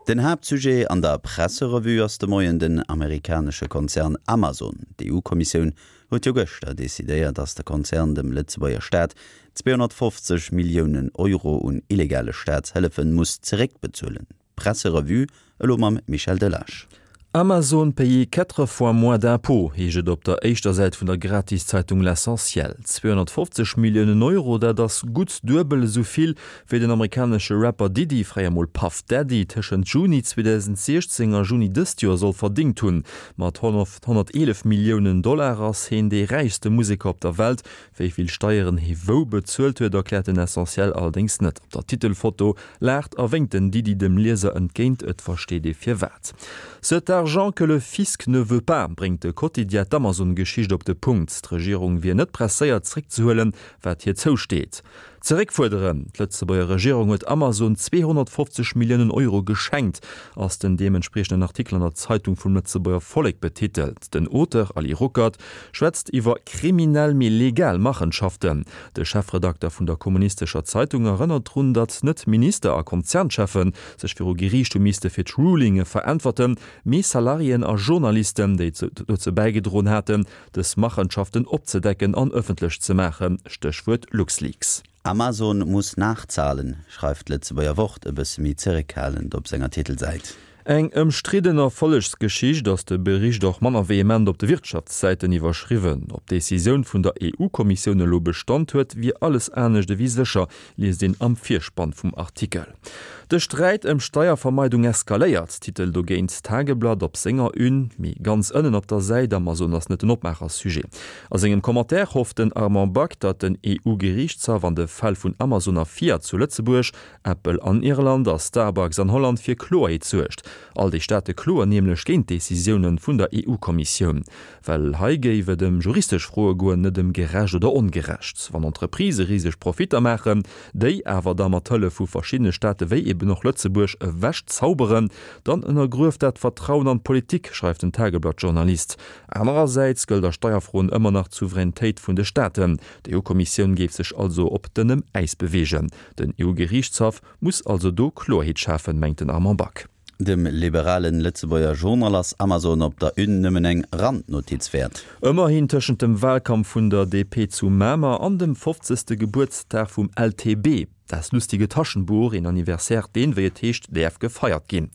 Den Haaptsujet an der Presserevue ass de Moien den amerikanesche Konzern Amazon. D'EU-Kommissioun huet jo gëschter decidéiert, datt de Konzern dem Lëtzebuerger Staat 250 Milliounen Euro un illegale Staatshëllefe muss zeréckbezuelen. D'Presserevue elo mam Michel Delage. Amazon paye quatre fois moins d'impôts, heescht et op der éischter Säit vun der Gratiszeitung L'Essentiel. 250 Milliounen Euro, dat ass gutt duebel esou vill, wéi den amerikanesche Rapper Diddy, fréier mol Puff Daddy, tëschent Juni 2016 a Juni dëst Joer soll verdéngt hunn. Mat 111 Milliounen Dollar ass heen dee räichste Museker op der Welt. Wéi vill Steieren hee wou bezuelt huet, erkläert den Essentiel allerdéngs net. Op der Titelfoto Laacht a wénkt den Diddy dem Lieser entgéint, et versteet ee firwat. Cet argent que le fisc ne veut pas, bréngt de Quotidien d'Amazon-Geschicht op de Punkt. D'Regierung wier net presséiert zeréckzehuelen, wat hir zousteet. Zeréckfuerderen! D'Lëtzebuerger Regierung huet Amazon 250 Milliounen Euro geschenkt, ass den deementspriechenden Artikel an der Zeitung vum Lëtzebuerger Vollek betitelt. Den Auteur Ali Ruckert schwätzt iwwer kriminell mee legal Machenschaften. De Chefredakter vun der kommunistescher Zeitung erënnert drun, datt net Minister a Konzerncheffe sech viru Geriicht hu misste fir d'Rulinge veräntwerten, mee Salariéen a Journalisten, déi dozou bäigedroen haten, dës Machenschaften opzedecken an ëffentlech ze maachen, Stéchwuert LuxLeaks. Amazon muss nachzahlen, schreift d'Lëtzebuerger Wort e bësse méi zeréckhalend op senger Titelsäit. Eng ëmstridden Erfollegsgeschicht ass de Bericht och manner vehement op de Wirtschaftssäiten iwwerschriwwen. Ob d'Decisioun vun der EU-Kommissioun elo Bestand huet, wier alles anescht ewéi sécher, liest een am Virspann vum Artikel. De Sträit ëm Steiervermeidung eskaléiert, titelt dogéint d'Tageblatt op senger Une. Mee ganz ënnen op der Säit, Amazon ass net den Opmaachersujet. A sengem Commentaire hofft den Armand Back, datt den EU-Geriichtshaff an de Fäll vun Amazon a Fiat zu Lëtzebuerg Apple an Irland a Starbucks an Holland fir Kloerheet suergt. All déi Staate kloen nämlech géint d'Decisioune vun der EU-Kommissioun. Well hei géif et ëm juristesch Froe goen, net ëm gerecht oder ongerecht. Wann Entreprisë riseg Profitter maachen, déi awer da mat Hëllef vu verschiddene Staate wéi eben och Lëtzebuerg ewech zauberen, dann ënnergrueft dat d'Vertrauen an d'Politik, schreift den Tageblatt-Journalist. Anerersäits gëllt a Steierfroen ëmmer nach d'Souveränitéit vun de Staaten. D'EU-Kommissioun géif sech also op dënnem Äis beweegen. Den EU-Geriichtshaff muss also do Kloerheet schafen, mengt den Armand Back. Dem liberalen Lëtzebuerger Journal ass Amazon op der Une nëmmen eng Randnotiz wäert. Ëmmerhin tëschent dem Wahlkampf vun der DP zu Mamer an dem fofzegste Gebuertsdag vum LTB, Das lustige Taschenbuch, een Anniversaire deen, wéi et heescht, däerf gefeiert ginn.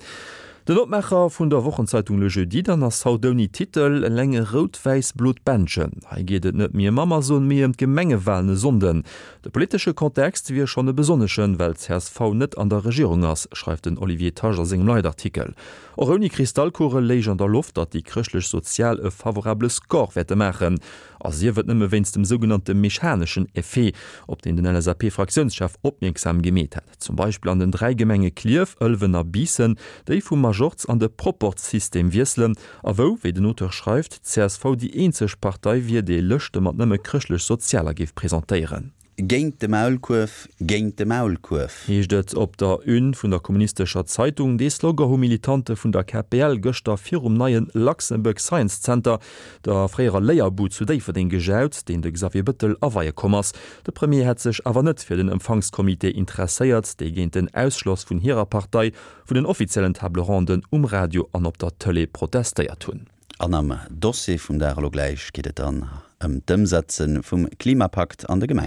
Den Opmaacher vun der Wochenzeitung Le Jeudi dann ass haut ouni Titel, eleng e rout-wäiss-blot Bändchen. Hei geet et net méi ëm Amazon, mee ëm d'Gemengewalen e Sonnden. De politesche Kontext wier schonn e besonneschen, well csv net an der Regierung ass, schreift den Olivier Tasch a sengem Leitartikel. Och ouni Kristallkugel léich an der Loft, datt déi Chrëschtlech-Sozial e favorabele Score wäerte maachen. A sief et nëmme wéinst dem sougenannte mechaneschen Effet, op deen den LSAP-Fraktiounschef opmierksam gemeet hat. Zum Beispill an den 3 Gemenge Klierf, Ëlwen a Biissen, déi vum Majorz an de Proporzsystem wiesselen a wou, wéi den Auteur schreift, d'CSV déi eenzeg Partei wier, déi Lëschte mat nëmme Chrëschtlech-Sozialer géif presentéieren. Géint de Maulkuerf, géint de Maulkuerf! Heescht et op der Une vun der kommunistescher Zeitung. Dee Slogan hu Militante vun der KPL gëschter virum neie Luxembourg Science Center, der fréierer Léierbud zu Déifferdeng, gejaut, deen de Xavier Bëttel aweie komm ass. De Premier hätt sech awer net fir den Empfangscomité interesséiert, déi géint den Ausschloss vun hirer Partei vun den offiziellen Table ronden um Radio an op der Tëlee protestéiert hunn. An am Dossier vum Dag elo gläich geet et dann ëm d'Ëmsetze vum Klimapakt an de Gemengen.